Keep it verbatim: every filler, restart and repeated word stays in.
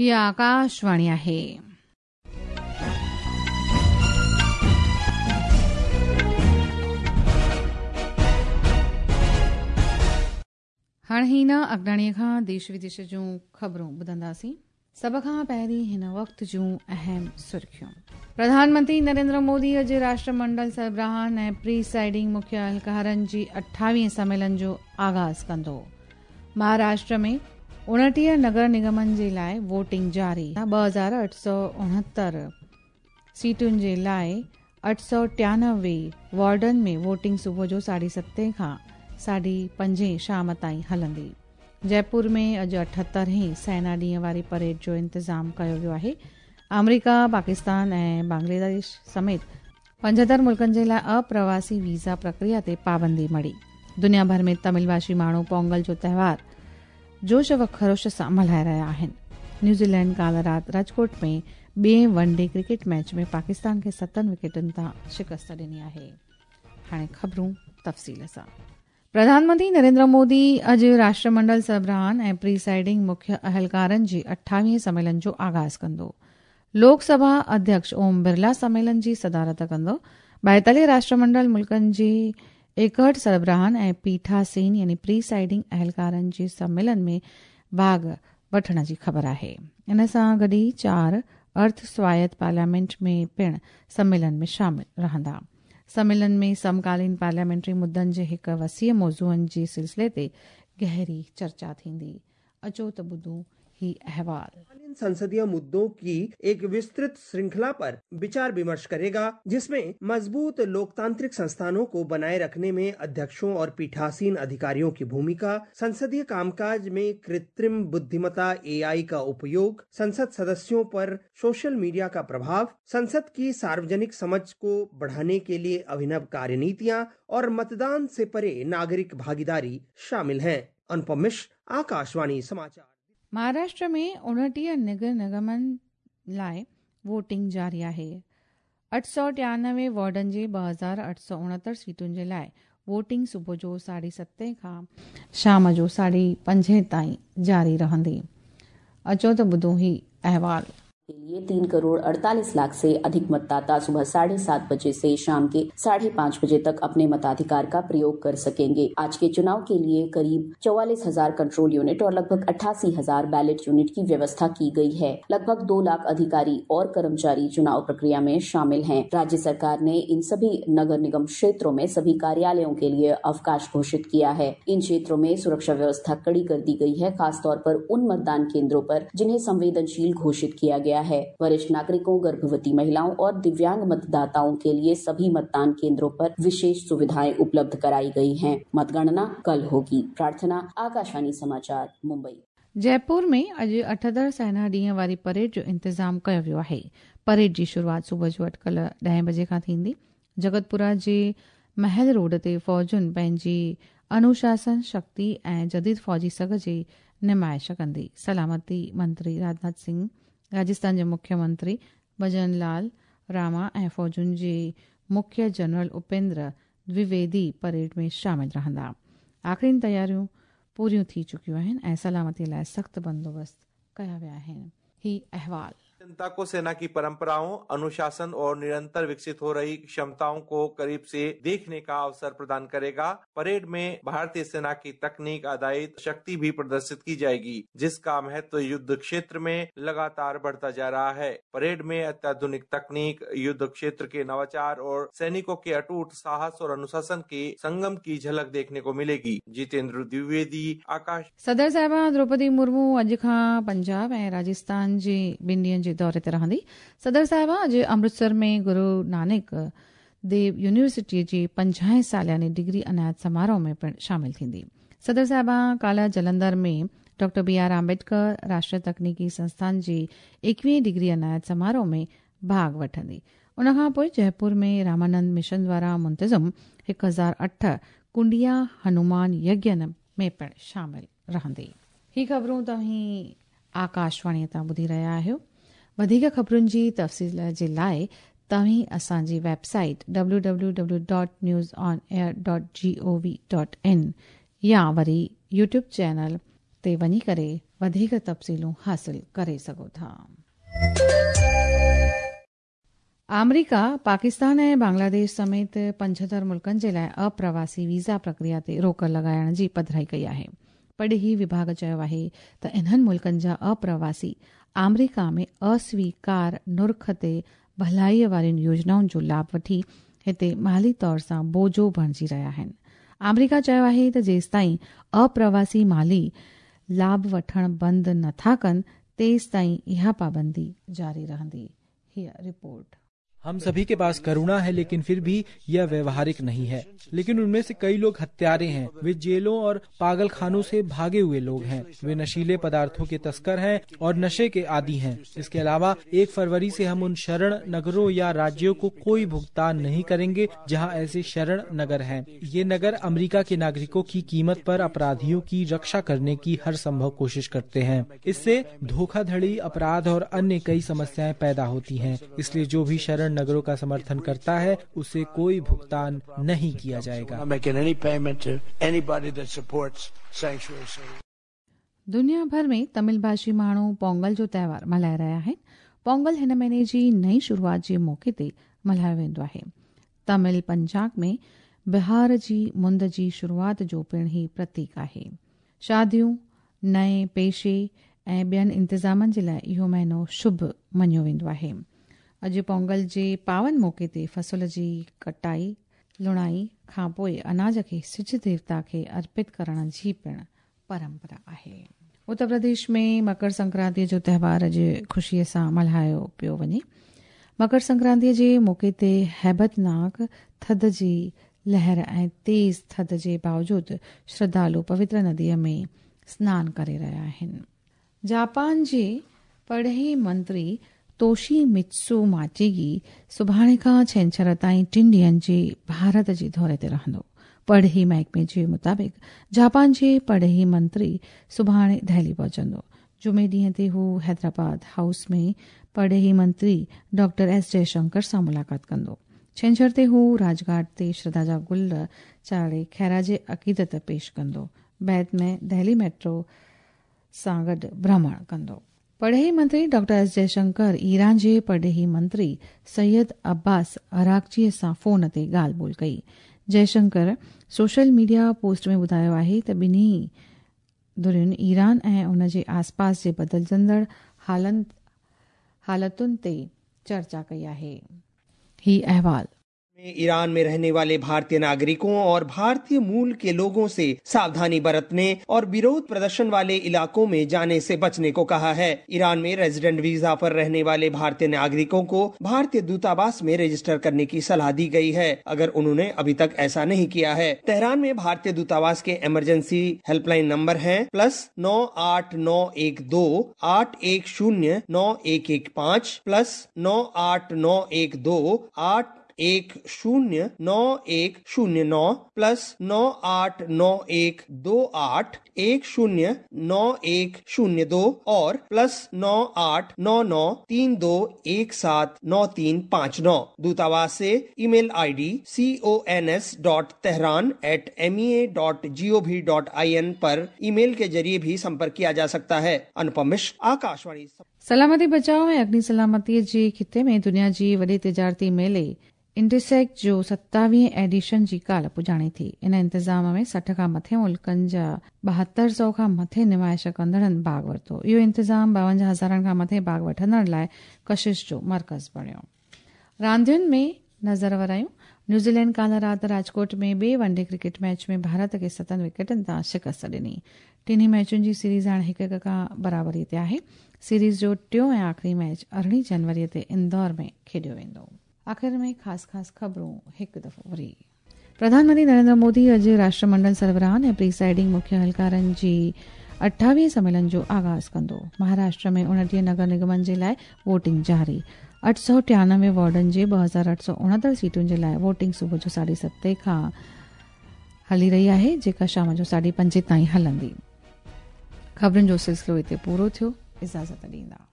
हीअ आकाशवाणी आहे। हाणे हिन अगडाणीअ खां देश विदेश जूं ख़बरूं ॿुधंदासीं। सभ खां पहिरीं हिन वक़्त जूं अहम सुर्खियूं। प्रधानमंत्री नरेंद्र मोदी अॼु राष्ट्रमंडल सरबराहनि ऐं प्रीसाइडिंग मुख्य अहलकारनि जी अठावीह सम्मेलन जो आगाज़ कंदो। महाराष्ट्र में उणिटीह नगर निगमनि जे लाइ वोटिंग जारी। ॿ हज़ार अठ सौ उणहतरि सीटुनि जे लाइ अठ सौ टियानवे वार्डनि में वोटिंग सुबुह जो साढे सतें खां साढे पंजे शाम ताईं हलंदी। जयपुर में अॼु अठहतरहें सेना ॾींहं वारी परेड जो इंतज़ाम कयो वियो आहे। आमेरिका, पाकिस्तान ऐं बांग्लादेश समेत पंजहतरि मुल्कनि जे लाइ अप्रवासी वीज़ा प्रक्रिया ते पाबंदी मढ़ी। दुनिया भर में तमिल भाषी माण्हू पोंगल जो त्योहार जोश व खरोश सां मल्हाए रहिया आहिनि। न्यूज़ीलैंड काल्ह राति राजकोट में ॿिए one day cricket match में पाकिस्तान खे सतनि विकेटनि तां शिकस्त ॾिनी आहे। हाणे ख़बरूं तफ़सील सां। प्रधानमंत्री नरेंद्र मोदी अॼु राष्ट्रमंडल सरबराहनि ऐं प्रीसाइडिंग मुख्य अहलकारनि जी अठावीह सम्मेलन जो आगाज़ कंदो। लोकसभा अध्यक्ष ओम बिरला सम्मेलन जी सदारत कंदो। ॿाएतालीह राष्ट्रमंडल मुल्कनि जी एकहठि सरबराहनि ऐं पीठासीन यानी प्रीसाइडिंग अहलकारनि जे सम्मेलन में भाॻ वठण जी ख़बर आहे। इन सां गॾु ई चारि अर्थ स्वायत्त पार्लियामेंट में पिणु सम्मेलन में शामिल रहंदा। सम्मेलन में समकालीन पार्लियामेंट्री मुद्दनि जे हिकु वसीअ मौज़ूअनि जे सिलसिले ते गहरी चर्चा थींदी। अचो त ॿुधूं ही अहवाल। संसदीय मुद्दों की एक विस्तृत श्रृंखला पर विचार विमर्श करेगा, जिसमें मजबूत लोकतांत्रिक संस्थानों को बनाए रखने में अध्यक्षों और पीठासीन अधिकारियों की भूमिका, संसदीय कामकाज में कृत्रिम बुद्धिमत्ता ए आई का उपयोग, संसद सदस्यों पर सोशल मीडिया का प्रभाव, संसद की सार्वजनिक समझ को बढ़ाने के लिए अभिनव कार्यनीतियां और मतदान से परे नागरिक भागीदारी शामिल हैं। अनुपम मिश्र, आकाशवाणी समाचार। महाराष्ट्र में उणिटीह नगर निगमनि लाइ वोटिंग जारी आहे। अठ सौ टियानवे वार्डनि जे ॿ हज़ार अठ सौ उणहतरि सीटुनि जे लाइ वोटिंग सुबुह जो साढे सतें खां शाम जो साढे पंजे ताईं जारी रहंदी। अचो त ॿुधूं ही अहवाल। के लिए तीन करोड़ अड़तालीस लाख से अधिक मतदाता सुबह साढ़े सात बजे से शाम के साढ़े पाँच बजे तक अपने मताधिकार का प्रयोग कर सकेंगे। आज के चुनाव के लिए करीब चौवालीस हजार कंट्रोल यूनिट और लगभग अट्ठासी हजार बैलेट यूनिट की व्यवस्था की गई है। लगभग दो लाख अधिकारी और कर्मचारी चुनाव प्रक्रिया में शामिल हैं। राज्य सरकार ने इन सभी नगर निगम क्षेत्रों में सभी कार्यालयों के लिए अवकाश घोषित किया है। इन क्षेत्रों में सुरक्षा व्यवस्था कड़ी कर दी गई है, खासतौर पर उन मतदान केंद्रों पर जिन्हें संवेदनशील घोषित किया गया है। वरिष्ठ नागरिकों, गर्भवती महिलाओं और दिव्यांग मतदाताओं के लिए सभी मतदान केंद्रों पर विशेष सुविधाएं उपलब्ध कराई गई हैं। मतगणना कल होगी। प्रार्थना, आकाशवाणी समाचार, मुंबई। जयपुर में अॼु अठहतरि सेना ॾींहं वारी परेड जो इंतज़ाम कयो वियो आहे। परेड जी शुरूआत सुबुह जो अटकल ॾहें बजे खां थींदी। जगतपुरा जे महल रोड ते फ़ौजुनि पंहिंजी अनुशासन, शक्ति ऐं जदीद फ़ौजी सघ जी नुमाइश कंदी। सलामती मंत्री राजनाथ सिंह, राजस्थान जे मुख्यमंत्री भजन लाल रामा ऐं फ़ौजुनि जे मुख्य जनरल उपेंद्र द्विवेदी परेड में शामिल रहंदा। आख़िरी तयारियूं पूरियूं थी चुकियूं आहिनि ऐं सलामती लाइ सख़्तु बंदोबस्त कया विया आहिनि। ही अहवाल। जनता को सेना की परंपराओं, अनुशासन और निरंतर विकसित हो रही क्षमताओं को करीब से देखने का अवसर प्रदान करेगा। परेड में भारतीय सेना की तकनीक आधारित शक्ति भी प्रदर्शित की जाएगी, जिसका महत्व युद्ध क्षेत्र में लगातार बढ़ता जा रहा है। परेड में अत्याधुनिक तकनीक, युद्ध क्षेत्र के नवाचार और सैनिकों के अटूट साहस और अनुशासन के संगम की झलक देखने को मिलेगी। जितेंद्र द्विवेदी, आकाश। सदर साहिबा द्रौपदी मुर्मू अॼु खां पंजाब ऐं राजस्थान जे ॿिनि ॾींहंनि जे दौरे ते रहंदी। सदर साहिबा अॼु अमृतसर में गुरू नानक देव यूनिवर्सिटीअ जे पंजाहें सालियाने डिग्री अनायत समारोह में पिणु शामिल थींदी। सदर साहिबा काल्ह जलंधर में डॉक्टर बी are Ambedkar राष्ट्रीय तकनीकी संस्थान जे एकवीह डिग्री अनायत समारोह में भाॻ वठंदी। उन खां पोइ जयपुर में रामानंद मिशन द्वारा मुंतज़म हिकु हज़ार अठ कुंडिया हनुमान यज्ञ में पिणु शामिल रहंदी। ही ख़बरूं तव्हीं आकाशवाणीअ तां ॿुधी रहिया आहियो। वधीक ख़बरुनि जी तफ़सील जे लाइ तव्हीं असांजी website W W W dot news on air dot G O V dot in या वरी यूट्यूब चैनल ते वञी करे वधीक तफ़सीलूं हासिल करे सघो था। आमेरिका पाकिस्तान ऐं बांग्लादेश समेत पंजहतरि मुल्कनि जे लाइ अप्रवासी वीज़ा प्रक्रिया ते रोक लॻाइण जी पधराई कई आहे। परॾेही विभाग चयो आहे त इन्हनि मुल्कनि जा अप्रवासी आमेरिका में अस्वीकार नुर्ख ते भलाई वारियुनि योजनाउनि जो लाभ वठी हिते माली तौर सां बोझो बणिजी रहिया आहिनि। आमेरिका चयो आहे त जेसिताईं अप्रवासी माली लाभ वठण बंदि नथा कनि तेसिताईं इहा पाबंदी जारी रहंदी। हीअ रिपोर्ट। हम सभी के पास करुणा है, लेकिन फिर भी यह व्यवहारिक नहीं है। लेकिन उनमें से कई लोग हत्यारे हैं। वे जेलों और पागलखानों से भागे हुए लोग हैं। वे नशीले पदार्थों के तस्कर हैं और नशे के आदी हैं। इसके अलावा एक फरवरी से हम उन शरण नगरों या राज्यों को कोई भुगतान नहीं करेंगे जहां ऐसे शरण नगर हैं। ये नगर अमेरिका के नागरिकों की कीमत पर अपराधियों की रक्षा करने की हर संभव कोशिश करते हैं। इससे धोखाधड़ी, अपराध और अन्य कई समस्याएं पैदा होती हैं। इसलिए जो भी शरण नगरों का समर्थन करता है उसे कोई भुगतान नहीं किया जाएगा। दुनिया भर में तमिल भाषी माण्हू पोंगल जो त्योहार मल्हाए रहिया आहिनि। पोंगल हिन महीने जी नई शुरुआत जे मौक़े ते मल्हायो वेंदो आहे। तमिल पंजाब में बिहार जी मुंद जी शुरुआत जो पिणु ही प्रतीक आहे। शादियूं, नए पेशे ऐं ॿियनि इंतिज़ामनि जे लाइ इहो महीनो शुभ मञियो वेंदो आहे। अॼु पोंगल जे पावन मौक़े ते फसल जी कटाई लुणाई खां पोइ अनाज खे सिज देवता खे अर्पित करण जी पिणु परंपरा आहे। उत्तर प्रदेश में मकर संक्रांतीअ जो त्योहार अॼु ख़ुशीअ सां मल्हायो पियो वञे। मकर संक्रांतीअ जे मौक़े ते हैबतनाक थधि जी लहर ऐं तेज़ थधि जे बावजूद श्रद्धालु पवित्र नदीअ में स्नान करे रहिया आहिनि। जापान जे परॾेही मंत्री तोशी मित्सु माचेगी सुभाणे खां छेंछर ताईं टिनि ॾींहंनि जे भारत जे दौरे ते रहंदो। परॾेही महकमे जे मुताबिक़ जापान जे परॾेही मंत्री सुभाणे दिल्ली पहुचंदो। जुमे ॾींहं ते हू हैदराबाद हाउस में परॾेही मंत्री डॉक्टर एस जयशंकर सां मुलाक़ात कंदो। छेंछर ते हू राजघाट ते श्रद्धा जा गुल चाढ़े ख़ैराज अक़ीदत पेश कंदो। बाद में दिल्ली मेट्रो सां गॾु भ्रमण कंदो। परॾेही मंत्री डॉक्टर एस जयशंकर ईरान जे परॾेही मंत्री सैयद अब्बास अरागचीअ सां फ़ोन ते ॻाल्हि ॿोल कई। जयशंकर सोशल मीडिया पोस्ट में ॿुधायो आहे त ॿिन्ही धुरियुनि ईरान ऐं उन जे आसपास जे बदिलजंदड़ हालतुनि ते चर्चा कई आहे। ही अहवाल। ईरान में रहने वाले भारतीय नागरिकों और भारतीय मूल के लोगों से सावधानी बरतने और विरोध प्रदर्शन वाले इलाकों में जाने से बचने को कहा है। ईरान में रेजिडेंट वीजा पर रहने वाले भारतीय नागरिकों को भारतीय दूतावास में रजिस्टर करने की सलाह दी गई है, अगर उन्होंने अभी तक ऐसा नहीं किया है। तेहरान में भारतीय दूतावास के इमरजेंसी हेल्पलाइन नंबर है प्लस नौ आठ नौ एक दो आठ एक शून्य नौ एक एक पाँच, प्लस नौ आठ नौ एक दो आठ एक शून्य नौ एक शून्य नौ, प्लस नौ आठ नौ एक दो आठ एक शून्य नौ एक शून्य दो और प्लस नौ आठ नौ नौ तीन दो एक सात नौ तीन पाँच नौ। दूतावास से email ID C O N S dot Tehran at M E A dot G O V dot I N पर ईमेल के जरिए भी संपर्क किया जा सकता है। अनुपम मिश्र, आकाशवाणी। सलामती बचाव ऐं अग्नि सलामतीअ जे ख़िते में दुनिया जी वॾे तिजारती मेले इंटरसेक जो सत्तावीह एडिशन जी काल्ह पुॼाणी थी। इन इंतज़ाम में सठि खां मथे मुल्कनि जा ॿाहतरि सौ खां मथे नुमाइश कंदड़नि भाॻ वरितो। इहो इंतज़ाम ॿावंजाह हज़ारनि खां मथे भाॻ वठंदड़ लाइ कशिश जो मर्कज़ बणियो। रांदियुनि में नज़र वरायूं। न्यूज़ीलैंड काल्ह राति राजकोट में ॿिए वनडे क्रिकेट मैच में भारत खे सतनि विकेटनि तां शिकस्त ॾिनी। टिन्ही मैचुनि जी सीरीज़ हाणे हिकु हिकु खां बराबरी ते आहे। सीरीज़ जो टियों ऐं आख़िरी मैच अरिड़हीं जनवरीअ ते इंदौर में खेॾियो वेंदो। आख़िर में ख़ासि ख़ासि ख़बरूं हिकु दफ़ो वरी। प्रधानमंत्री नरेंद्र मोदी अॼु राष्ट्रमंडल सरबराहनि ऐं प्रीसाइडिंग मुख्य अहलकारनि जी अठावीह सम्मेलन जो आग़ाज़ कंदो। महाराष्ट्र में उणिटीह नगर निगमनि जे लाइ वोटिंग जारी। अठ सौ टियानवे वार्डनि जे ॿ हज़ार अठ सौ उणहतरि सीटुनि जे लाइ वोटिंग सुबुह जो साढे सते खां हली रही आहे, जेका शाम जो साढे पंजे ताईं हलंदी। ख़बरुनि जो सिलसिलो हिते पूरो थियो। इजाज़त ॾींदा।